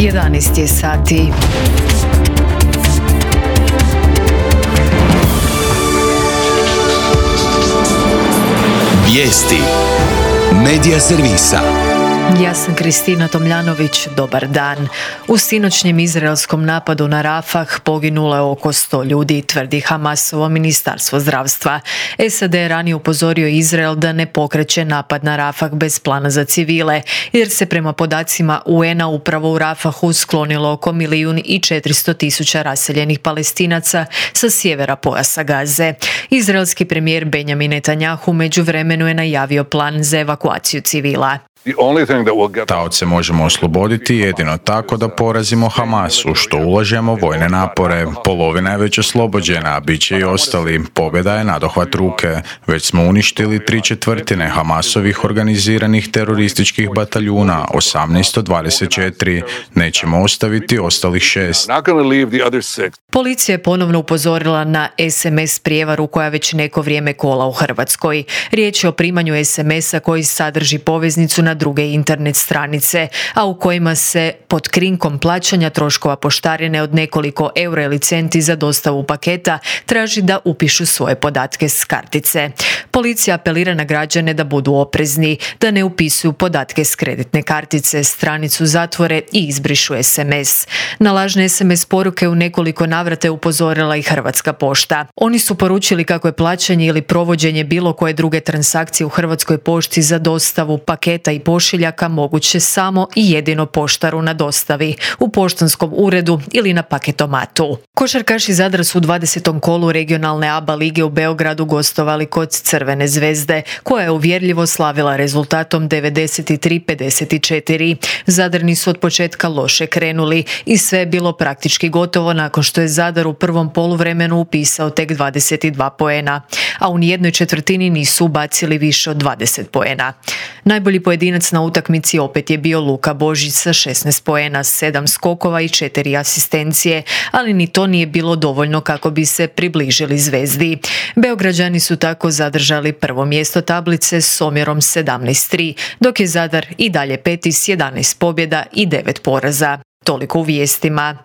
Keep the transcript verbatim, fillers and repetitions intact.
jedanaest je sati. Vijesti Medija servisa. Ja sam Kristina Tomljanović, dobar dan. U sinoćnjem izraelskom napadu na Rafah poginulo je oko sto ljudi, tvrdi Hamasovo ministarstvo zdravstva. S A D je ranije upozorio Izrael da ne pokreće napad na Rafah bez plana za civile, jer se prema podacima U N-a upravo u Rafahu sklonilo oko milijun i četiristo tisuća raseljenih Palestinaca sa sjevera pojasa Gaze. Izraelski premijer Benjamin Netanjahu u međuvremenu je najavio plan za evakuaciju civila. Taoce možemo osloboditi jedino tako da porazimo Hamas, u što ulažemo vojne napore. Polovina je već oslobođena, a bit će i ostali. Pobjeda je nadohvat ruke. Već smo uništili tri četvrtine Hamasovih organiziranih terorističkih bataljuna, osamnaest od dvadeset četiri. Nećemo ostaviti ostalih šest. Policija je ponovno upozorila na S M S prijevaru koja već neko vrijeme kola u Hrvatskoj. Riječ je o primanju S M S-a koji sadrži poveznicu na druge internet stranice, a u kojima se pod krinkom plaćanja troškova poštarine od nekoliko eura ili centi za dostavu paketa traži da upišu svoje podatke s kartice. Policija apelira na građane da budu oprezni, da ne upisuju podatke s kreditne kartice, stranicu zatvore i izbrišu S M S. Na lažne S M S poruke u nekoliko navrata je upozorila i Hrvatska pošta. Oni su poručili kako je plaćanje ili provođenje bilo koje druge transakcije u Hrvatskoj pošti za dostavu paketa i pošiljaka moguće samo i jedino poštaru na dostavi, u poštanskom uredu ili na paketomatu. Košarkaši Zadra su u dvadesetom kolu regionalne A B A lige u Beogradu gostovali kod Crvene zvezde, koja je uvjerljivo slavila rezultatom devedeset tri pedeset četiri. Zadrani su od početka loše krenuli i sve je bilo praktički gotovo nakon što je Zadar u prvom poluvremenu upisao tek dvadeset dva poena, a u nijednoj četvrtini nisu ubacili više od dvadeset poena. Najbolji pojedinac na utakmici opet je bio Luka Božić sa šesnaest poena, sedam skokova i četiri asistencije, ali ni to nije bilo dovoljno kako bi se približili Zvezdi. Beograđani su tako zadržali prvo mjesto tablice s omjerom sedamnaest tri, dok je Zadar i dalje peti s jedanaest pobjeda i devet poraza. Toliko u vijestima.